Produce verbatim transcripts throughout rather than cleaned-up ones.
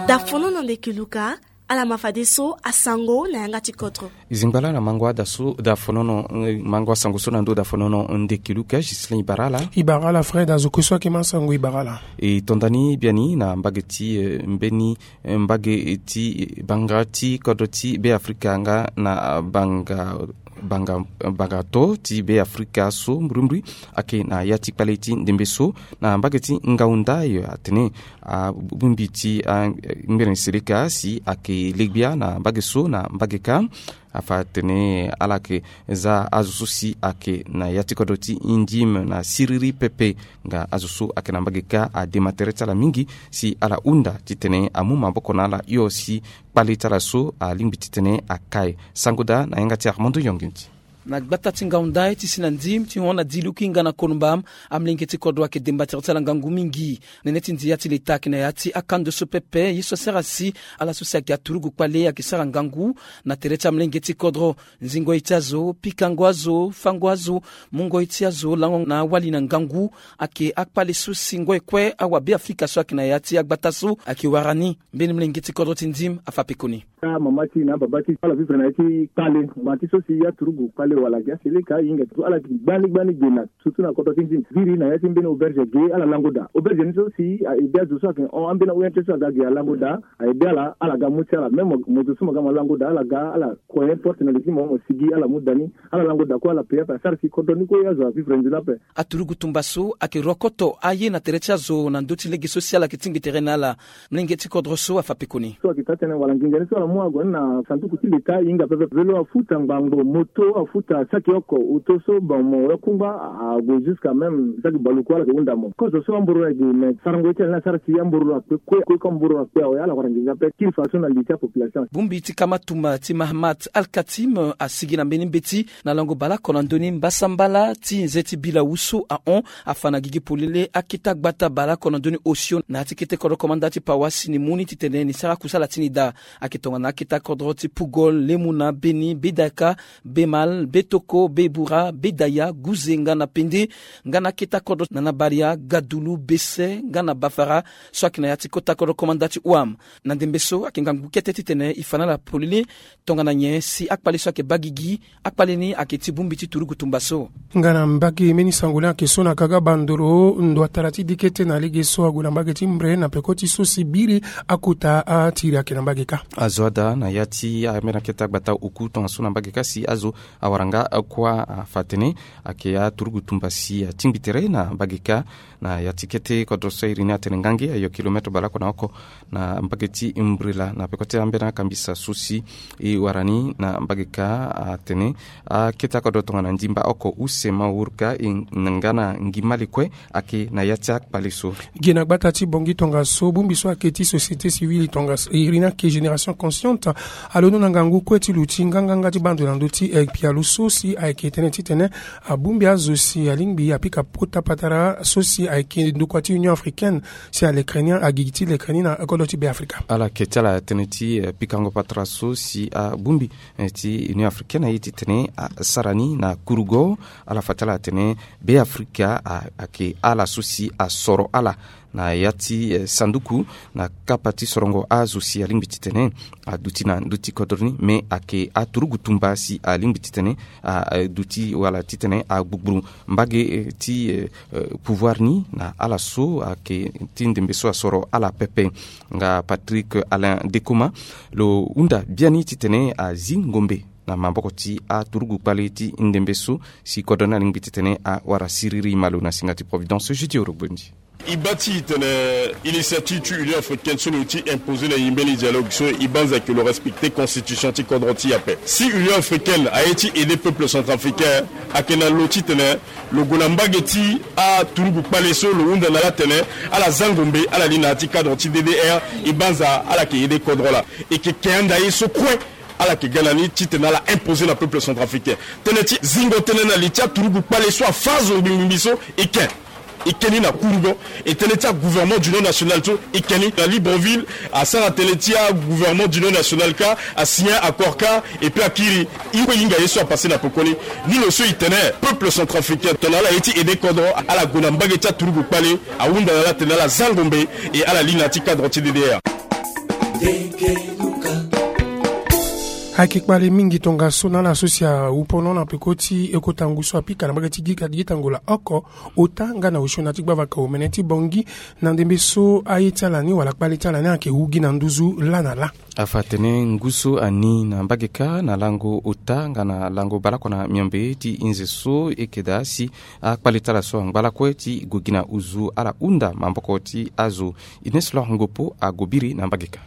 Dafonono ndeki luka. Ala ma fadeso asango na yanga ti kodro. Zingba laa na mango ada so dafonono, mango asango so na ndo dafonono ndeki luka. Gislin ibara ala. Ibara ala Fred azo kue so ayeke ma sango ibara ala. E tonda ni biani na mbage ti mbeni mbage ti banga ti kodro ti Beafrika nga na banga banga banga to ti Beafrika so mbrimbri ayeke na ya ti kpale ti ndembe so na mbage ti ngaunda yo atene abongbi ti angbene seleka si ayeke legbia na mbage so na mbage kâ. Afa atene ala yeke za azo so si ayeke na ya ti kodro ti ndim na siriri pepe. Nga azo so ayeke na mbage kâ adema tere ti ala mingi si ala hunda titene amu maboko na ala hio si kpale ti ala so alingbi titene aka e. Sango daa na yanga ti Armando Yonginti. Na gbata ti ngaunda ti si na ndim ti hon na diluki nga na konumba, amlenge ti kodro ayeke demba tere ti ala ngangu mingi. Nene ti ndia ti leta ayeke na ya ti akando so pepe ye so asara si ala so si ayeke aturugu kpale ayeke sara ngangu na tere ti amlenge ti kodro. Nzingo ye ti azo, pikango azo, fango azo, mungo ye ti azo lango na awali na ngangu ayeke akpale so si ngoi kue awabeafrika so ayeke na ya ti agbata so ayeke wara ni. Mbeni mlenge ti kodro ti ndim afa pekoni. Amama ti na ababa ti ala vivre na ya ti kpale ngba ti so si aturugu kpale wala gi aseleka ahinga ti so ala gi gbani gbani ge na surtout na kodro ti ndim viri na ya ti mbeni auberge ge ala lango daa auberge ni so si aide azo so ayeke hon ambeni awe ti so aga ge alango daa. Aide ala ala ga mu ti ala même moto so mo ga mo lango daa ala ga ala kue porte na li ti mo mo sigi ala mu daa ni. Ala lango daa kue ala pe ape asara si kodro ni kue azo avivre nzoni ape. Aturugu tumba so ayeke rokoto aye na tere ti azo na ndö ti lege so si ala yeke tingbi tere na ala. Mlenge ti kodro so afa pekoni. So ayeke taa tënë wala nginza ni so ala mu ague ni na sanduku ti leta ahinga pepe velo afuta ngbangbo moto afuta saki oko oto so bon mo wekungba ague jusqu'à même saki baluku ala yeke hunda mo kozo so amboro ayeke me sarango ye ti ala ni asara si amboro akpe kue kue ko amboro akpe awe ala wara nginza ape kiri faso na li ti apopulation. Bongbi ti kama tumba ti Mahamat Al Katim asigi na mbeni mbeti na lango baleoko na ndö ni mbasambala ti nze ti bila wu so ahon afa na gigi polele akete agbata baleoko na ndö ni osio na ya ti kete kodro komanda ti pawa si ni mu ni titene ni sara kusala ti ni daa. Ayeke tongana akete akodro ti Pugol, Lemuna, Beni, Bedaka, Bemal, Betoko, Bebura, Bedaya, Guze nga na Pende nga na akete akodro na na Baria, Gadulu, Bese nga na Bafara so ayeke na ya ti kota kodro komanda ti Ouam. Na ndembe so ayeke ngangu kete titene e fa na ala polele tongana nyen si akpale so ayeke baa gigi. Akpale ni ayeke ti bongbi ti turugu tumba so. Nga na mbage mbeni sango laa ayeke so na kaga bandoro ndo atara ti dikete na lege so ague na mbage ti mbre na peko ti so si biri akota atiri ayeke na mbage kâ. Azo ada na ya ti ambeni akete agbata oku tongaso na mbage kâ si azo awara nga kuâ afa atene ayeke aturugu tumba si atingbi tere na mbage kâ. Na ya ti kete kodro so iri ni atene ngange ayo kilometre baleoko na oko na mbage ti mbrila na peko ti ambeni akambisa so si e wara ni na mbage kâ atene akete akodro tongana ndimba oko use ma wurka e nga na ngi mali kue ayeke na ya ti akpale so. Gi na gbata ti bongi tongaso bongbi so ayeke ti société civile tongaso iri ni ayeke génération consciente alondo na ngangu kue ti luti nganganga ti bando na ndö ti pialo so si ayeke tënë titene abongbi azo si alingbi apika pota patara so si ayeke ndokua ti Union africaine si alekere ni agigi ti lekere ni na kodro ti Beafrika. Ala yeke ti ala tënë ti pikango patara so si abongbi ti Union africaine aye titene asara ni na kurugo. Ala fa ti ala atene Beafrika ayeke ala so si asoro ala na ya ti sanduku na kapa ti sorongo azo si alingbi titene aduti na ndö ti kodro ni me ayeke aturugu tumba si alingbi titene aduti wala titene agbugburu mbage ti pouvoir ni na ala so ayeke ti ndembe so asoro ala pepe. Nga Patrick Alain Dekoma lo hunda biani titene azi ngombe na maboko ti aturugu kpale ti ndembe so si kodro ni alingbi titene awara siriri malo na singa ti Providence Jeudi Orogbondi. E baa ti e tene initiative ti Union africaine so lo ti imposer na e mbeni dialogue so e banza ke lo respecter constitution ti kodro ti e ape. Si Union africaine aye ti aider peuple centrafricain ayeke na lo titene lo gue na mbage ti aturugu kpale so lo hunda na ala atene ala za ngombe ala li na ya ti cadre ti D D R. E banza ala yeke aider kodro laa. E yeke ke anda ye so kue ala yeke ga na ni titene ala imposer na peuple centrafricain. Tënë ti zingo tënë na li ti aturugu kpale so afâ zo ngbingbingbi so e ke. E ke ni na kurugo, e tene ti agouvernement d'union nationale so e ke ni na Libreville, asara tene ti agouvernement d'union nationale kâ, asigné accord kâ, et puis akiri. E kue hinga ye so apassé na pekoni. Ni lo so e tene peuple centrafricain tongana ala ye ti aidé kodro, ala gue na mbage ti aturugu kpale, ahunda na ala atene ala za ngombe, et ala li na ya ti cadre ti D D R. Ayeke kpale mingi tongaso na ala so si awu pono na peko ti e kota ngu so apika na mbage ti Gita, Gita Ngola oko, ota nga na osio na ya ti gbavaka omene ti Bangui. Na ndembe so aye ti ala ni wala kpale ti ala ni ayeke wu gi na nduzu lâ na lâ. Afa atene ngu so ani na mbage kâ na lango ota nga na lango baleoko na miombe ti nze so e yeke daa si akpale ti ala so angba lakue ti gue gi na nduzu, ala hunda maboko ti azo. Ines Lor Ngopo ague biri na mbage kâ.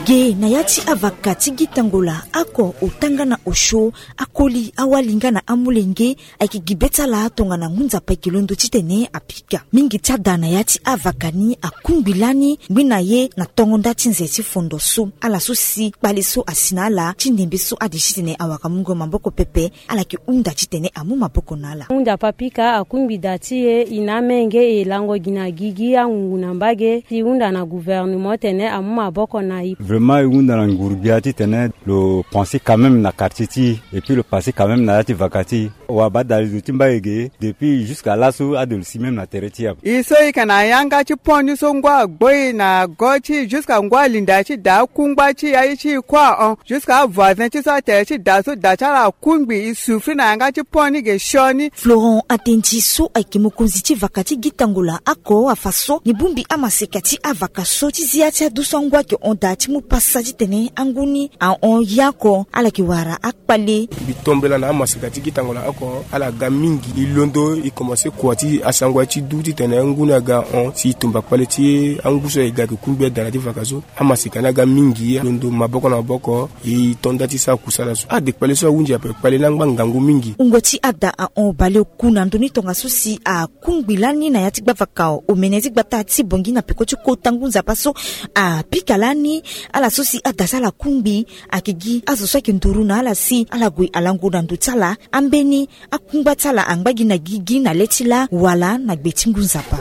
Ge na ya ti avaka ti Gita Ngola oko, ota nga na osio, akoli, awali nga na amolenge, ayeke gi be ti ala tongana ngu nzapa ayeke londo titene apika. Mingi ti ada na ya ti avaka ni akungbi lani ngbene na ye na tongo nda ti nze ti fondo so. Ala so si kpale so asi na ala ti ndembe so ade titene awara mungo maboko pepe, ala yeke hunda titene amu maboko na ala. Ngu nzapa apika, akungbi da ti e, e na amenge, e lango gi na gigi angungu na mbage ti hunda na gouvernement titene amu maboko na e. Vraiment e hunda na nguru-gbia titene lo pensé quand même na quartier ti e, et puis lo pensé quand même na ya ti vaka ti e. Wabadale zo ti mbage ge, depuis jusqu'à laso ade lo si même na tere ti e ape. E so e yeke na yanga ti pont ni so ngu agbo e na go ti e jusqu'à ngu alinda ti daa akungba ti e aye ti e kue ahon. Jusqu'à avoisin ti so atere ti daa so, daa ti ala akungbi, e souffrir na yanga ti pont ni ge sioni. Florent Atendi so ayeke mokonzi ti vaka ti Gita Ngola oko afa so ni bongbi amaseka ti avaka so ti zi ya ti adu so angu ayeke hon daa ti mu pasa titene angu ni ahon ye oko, ala yeke wara akpale. Mbi tombela na amaseka ti Gita Ngola oko, ala ga mingi. E londo e komanse kua ti asango ya ti du titene angu ni aga hon si e tumba kpale ti angu so ayeke ga ayeke kungbi ada na ya ti vaka so. Amaseka ni aga mingi, e londo maboko na maboko, e to nda ti sara kusala so. Ade kpale so ahunzi ape kpale ni angba ngangu mingi. Wungo ti ada ahon baleoku na ndö ni tongaso si akungbi lani na ya ti gbavaka omene ti gbata ti Bangui na peko ti kota ngu nzapa so apika lani. Ala so si ada ti ala akungbi, ayeke gi azo so ayeke nduru na ala si ala gue alango na ndo ti ala ambeni akungba ti ala angba gi na gigi na le ti lâ wala na gbe ti ngu nzapa.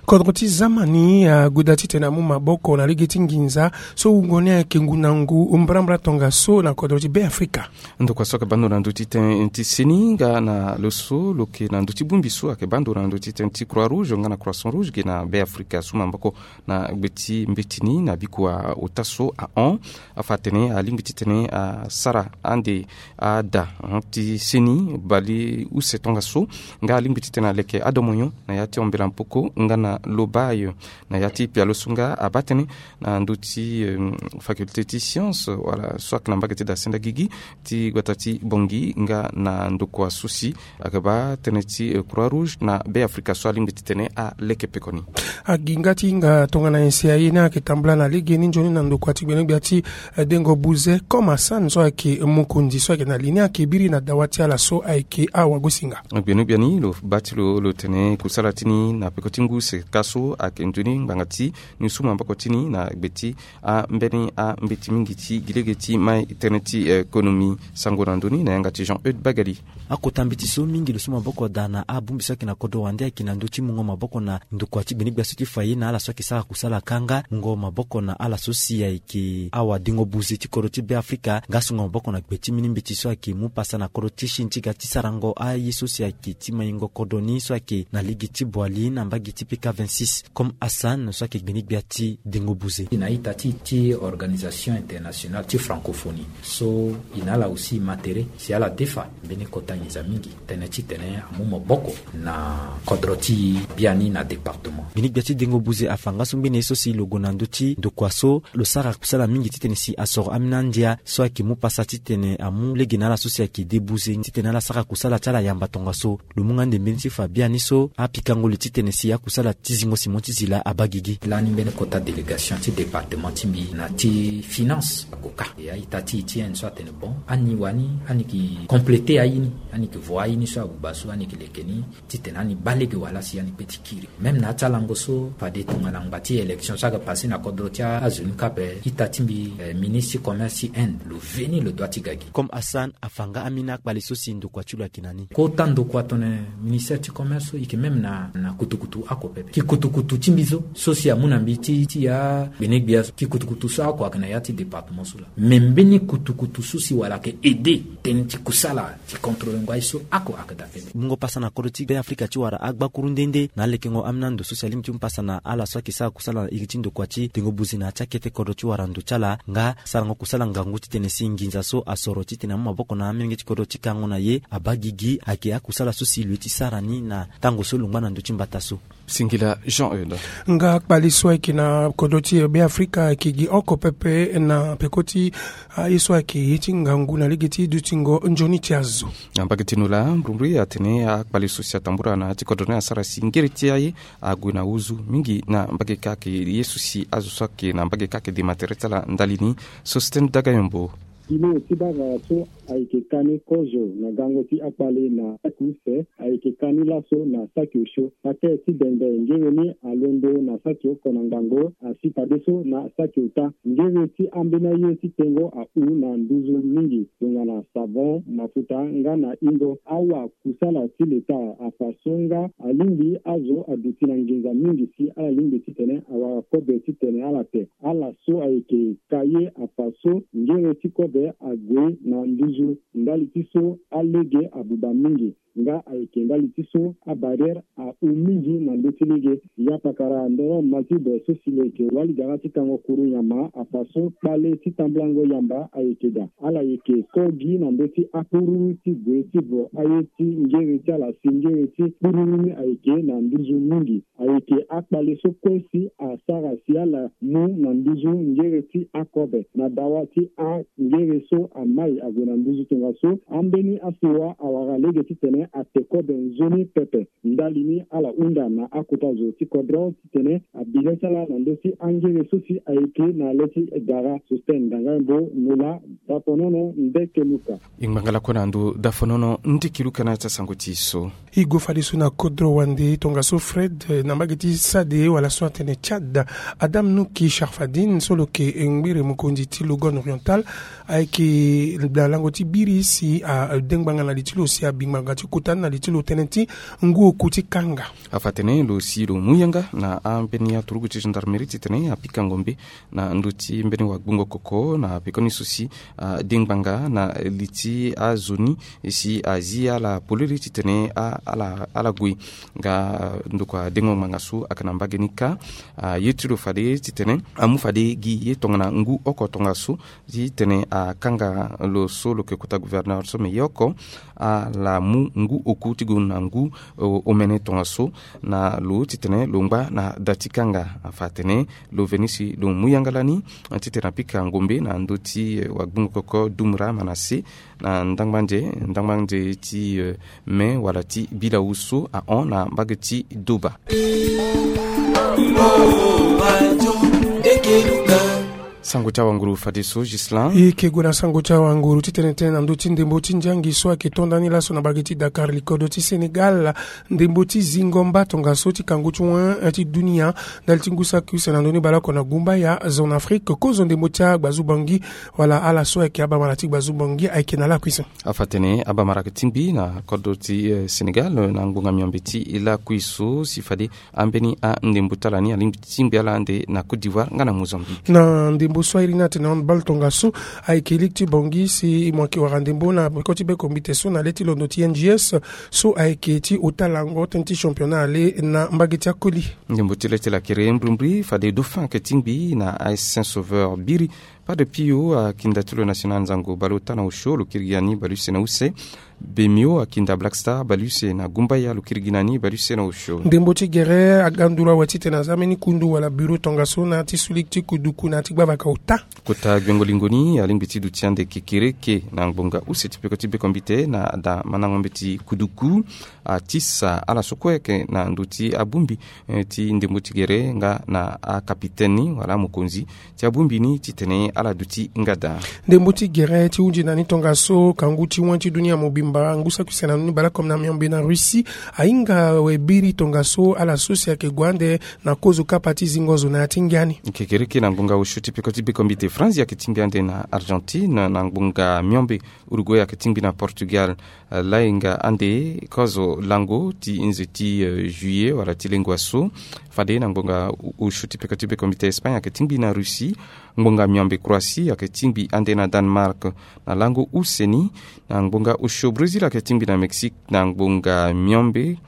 Kodro ti Zamani ague daa titene amu maboko na lege ti nginza so wungo ni ayeke ngu na ngu mbrambra tongaso na kodro ti Beafrika. Ndokua so ayeke baa ndo na ndö ti tënë ti seni nga na lo so lo yeke na ndö ti bongbi so ayeke baa ndo na ndö ti tënë ti Croix Rouge nga na Croissant Rouge ge na Beafrika so maboko na gbe ti mbeti ni na bikua ota so ahon. Afa atene alingbi titene asara ande ada ti seni baleuse tongaso, nga alingbi titene aleke adomonyo na ya ti Ambela Mpoko nga na Lobaye na ya ti pialo so nga abaa tënë na ndö ti, euh, faculté ti science wala so ayeke na mbage ti da senda gigi ti gbata ti Bangui nga na ndokua so si ayeke baa tënë ti, euh, Croix Rouge na Beafrika so alingbi titene aleke pekoni. Agi nga ti hinga tongana nyen si aye ni ayeke tambula na legeni nzoni na ndokua ti gbenegbia ti, eh, Dengo Buze, Comme Hassan so ayeke mokonzi so ayeke na li ni ayeke biri na dawa ti ala so ayeke awagosinga. Gbenegbia ni lo baa ti lo lo tene kusala ti ni na peko ti ngu seka so ayeke nzoni ngbanga ti ni su maboko ti ni na gbe ti ambeni ambeti mingi ti gi lege ti mai tënë ti, eh, konomi. Sango na ndö ni na yanga ti Jean Eudes Bagali. Akota mbeti so mingi lo su maboko daa na abongbi so ayeke na kodro wande ayeke na ndö ti mungo maboko na ndokua ti gbenegbia so ti fa ye na ala so ayeke sara kusala kâ nga mungo maboko na ala so si ayeke awadengo buze ti kodro ti Beafrika nga asungo maboko na gbe ti mbeni mbeti so ayeke mu pasa na kodro ti Chine ti ga ti sarango aye so si ayeke ti maingo kodro ni so ayeke na lege ti Boali na mbage ti P K vingt-six. Comme Hassan so ayeke gbenegbia ti dengo buze. Na ita ti, ti organisation internationale ti francophonie so e na ala aussi ma tere si ala defa mbeni kota nginza mingi tënë titene amu maboko na kodro ti biani na département. Gbenegbia ti dengo buze afa nga so ngbene ye so si lo gue na ndö ti ndokua so lo sara kusala mingi titene si asoro ambeni andia so ayeke mu pasa titene amu lege na ala so si ayeke de buze titene ala sara kusala ti ala yamba tongaso. Lo mu nga nde mbeni ti fa biani so apikango li titene si akusala Ti zingo Simon ti zila abagigi. Lani mbeni kota délégation ti département ti mbi na ti finance akoka e a-ita ti e ti inde so atene bon, ani wani ani ki compléter aye ni, ani ki vo aye ni so abuba so ani ki leke ni, titene ani baa lege wala si ani kpe ti kiri. Même na ya ti alango so fade tongana ngba ti élection so ayeke passé na kodro ti azo ni kâ ape, ita ti mbi, eh, ministre ti commerce ti inde lo veni lo dua ti ga gi. Comme Hassan afa nga amina akpale so si ndokua ti lo ayeke na ni. Kota ndokua tongana ministère ti commerce so e yeke même na, na kutukutu oko pepe. Ki kutukutu ti mbi so, so si amu na mbi ti, ti ya gbene gbia so, ki kutukutu so oko ayeke na ya ti département so laa. Mais mbeni kutukutu so si wala ayeke aider tënë ti kusala ti contrôler ngo aye so oko ayeke daa pepe. Mungo pasa na kodro ti Be Afrika ti wara agbakuru nde nde na alekengo amina ndo so si alingbi ti mu pasa na ala so ayeke sara kusala na iri ti ndokua ti tengo buzi na ya ti akete kodro ti wara ndo ti ala nga sarango kusala ngangu titene si nginza so asoro titene amu maboko na amolenge ti kodro ti kango na ye abaa gigi ayeke akusala so si lo ye ti sara ni na tango so lo ngba na ndö ti mbata so. Singila Jean Eudes. Nga kpale so ayeke na kodro ti Be Afrika ayeke gi oko pepe na peko ti aye so ayeke ye ti ngangu na lege ti dutingo nzoni ti azo. Na mbage ti no laa mbrimbri atene akpale so si atambula na ya ti kodro ni asara si ngere ti aye ague na ozu mingi na mbage kâ ayeke ye so si azo so ayeke na mbage kâ ayeke dema tere ti ala ndali ni. Sostène Dagayombo. Kilo ti bagara so ayeke ka ni kozo na gango ti akpale na saki use, ayeke ka ni laso na saki osio. Pate ti bembe ngere ni alondo na saki oko na ngango, asi fadeso na saki ota. Ngere ti ambeni aye ti tengo ahu na nduzu mingi tongana savon, mafuta nga na ingo. Awa kusala ti leta afa so nga alingbi azo aduti na nginza mingi si ala lingbi titene awara kobe titene ala te. Ala so ayeke ka ye afa so ngere ti kobe ague na nduzu ndali ti so alege abuba mingi. Nga ayeke ndali ti so abarrière ahu mingi na ndö ti lege. Ya pakara ndoro Mathilde so si lo yeke wali gara ti kango kuru nyama afa so kpale ti tambulango yamba ayeke daa. Ala yeke ko gi na ndö ti akpururu ti gue ti vo aye ti ngere ti ala si ngere ti kpururu ni ayeke na nduzu mingi. Ayeke akpale so kue si asara si ala mu na nduzu ngere ti akobe na dawa ti angere so amai ague na nduzu tongaso ambeni asewa awara lege titene ate kobe nzoni pepe. Ndali ni ala hunda na akota zo ti kodro titene abi le ti ala na ndö ti angere so si ayeke na le ti gara. Sosten Dangaimbo, Nola, Dafonono, Ndeke Luka. E ngbanga lakue na ndo Dafonono, Ndeke Luka na ya ti asango ti e so. E gue fadeso na kodro wande tongaso Fred, eh, na mbage ti Sade wala so atene Tchad. Adam Nouki Sharfadine so lo yeke ngbere mokonzi ti Logon Oriental ayeke na lango ti biri si ade ngbanga na li ti lo si abi ngbanga ti kota ni na li ti lo tënë ti ngu oku ti kanga. Afa atene lo si lo mu yanga na ambeni aturugu ti gendarmerie titene apika ngombe na ndö ti mbeni wagbongo koko na pekoni so si ade ngbanga na li ti azo ni si azi ala polele titene a, ala, ala gue. Nga ndokua dengo ngbanga so ayeke na mbage ni kâ, aye ti lo fade titene amu fade gi ye tongana ngu oko tongaso titene akanga lo so lo yeke kota gouverneur so me ye oko ala mu ngu oku ti gue na ngu, o, omene tongaso na lo titene lo ngba na da ti kanga. Afa atene lo veni si lo mu yanga lani titene apika ngombe na ndö ti, eh, wagbongo koko Dumra Manase na ndangbande, ndangbande ti, eh, me wala ti bilawu so ahon na mbage ti Doba. Sango ti awanguru fadeso Gislain. E yeke gue na sango ti awanguru titene tënë na ndö ti ndembo ti nzangi so ayeke to ndani laso na mbage ti Dakar likodo ti Sénégal. Ndembo ti zingo mba tongaso ti kangu ti wen ti dunia ndali ti ngu saki use na ndö ni baleoko na gumbaya Zone Afrique. Kozo ndembo ti agbazu Bangui wala ala so ayeke abamara ti gbazu Bangui ayeke na lakui so. Afa atene abamara ayeke tingbi na kodro ti, eh, Sénégal, eh, na ngbonga miombe ti lakui so si fade ambeni andembo ti ala ni alingbi ti tingbi ala ande na Côte d'Ivoire nga na Mozambique. Na ndembo so airi ni atene handball tongaso ayeke lege ti Bangui si mo yeke wara ndembo na peko ti beko mbite so na le ti londo ti N G S so ayeke ti ota lango tënë ti championnat ale na mbage ti akoli. Ndembo ti le ti lakiri mbrimbri fade Dauphin ayeke tingbi na A S Saint Sauveur biri. Ade pio akinda ti lo national nzango baleota na osio lo kiri gi na ni baleuse na use. Bemio akinda black star baleuse na gumbaya lo kiri gi na ni baleuse na osio. Ndembo ti gere aga nduru awe titene aza mbeni kundu wala bureau tongaso na ti suliki ti kuduku na ti gbavaka ota. Kota gbengo lingo ni alingbi ti duti ande kekereke na ngbonga use ti peko ti bekombite na ada mandango mbeti kuduku. Atisa ala so kue ayeke na ndö ti abongbi ti ndembo ti gere nga na akapitene ni wala amokonzi ti abongbi ni titene ala duti ngada. Ndembo ti gere ti hunzi na ni tongaso kangu ti wani ti dunia mobimba ngu saki use na ni baleoko na miombe na russie. Ahinga awe biri tongaso ala so si ayeke gue ande na kozo kapa ti zingo zo na ya ti ngia ni. Kekereke na ngbonga osio ti peko ti bekombite france ayeke tingbi ande na argentine na ngbonga miombe. Uruguay ayeke tingbi na portugal. Lainga ande kozo lango ti nze ti juillet wala ti lengua so. Fade na ngbonga osio ti peko ti bekombite espagne ayeke tingbi na russie. Ngbonga miombe croatie ayeke tingbi ande na danemark na lango use ni. Na ngbonga osio brésil ayeke tingbi na mexique na ngbonga miombe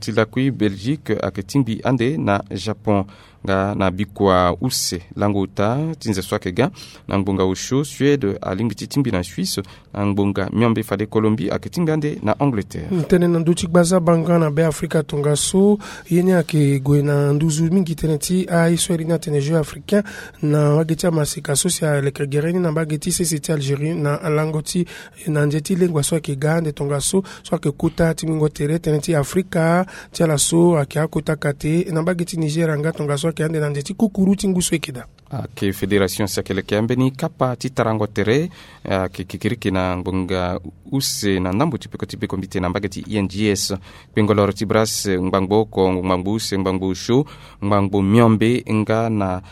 ti lakui belgique ayeke tingbi ande na japon. Nga na bikua use lango ota ti nze so ayeke ga na ngbonga osio suède alingbi ti tingbi na suisse. Na ngbonga miombe fade colombie ayeke tingbi ande na angleterre. Tënë na ndö ti gbaza banga na be afrika tongaso. Ye ni ayeke gue na nduzu mingi tënë ti aye so eri ni atene jeu africain na wage ti amaseka so si aleke gere ni na mbage ti sese ti algérie na lango ti na nze ti lengua so ayeke ga ande tongaso so ayeke kota ti mingo tere tënë ti afrika. Ti ala so ayeke akota kate na mbage ti nigeria nga tongaso ayeke ande na nze ti kukuru ti ngu so ayeke daa. Ayeke fédération si ayeke leke ambeni kapa ti tarango tere. Ayeke kekereke na ngbonga use na ndambo ti peko ti bekombite na mbage ti ings. Kpengoloro ti bras ngbangbo oko ngbangbo use ngbangbo osio ngbangbo miombe nga na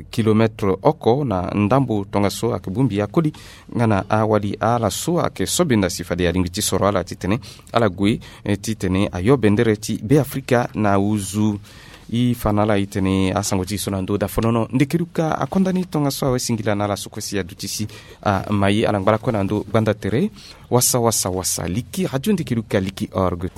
kilometre oko na ndambo tongaso ayeke bongbi akoli. Nga na awali ala so ayeke sobenda si fade alingbi ti soro ala titene ala gue titene ayo bendere ti be afrika na uzu. I fa na ala itene asango ti so na ndö dafonono ndekeluka akonda ni tongaso awe singila na ala so kue si aduti si ama ye ala ngbalako na ndö gbanda tere. Wasa wasa wasa liki radio ndekeluka liki org.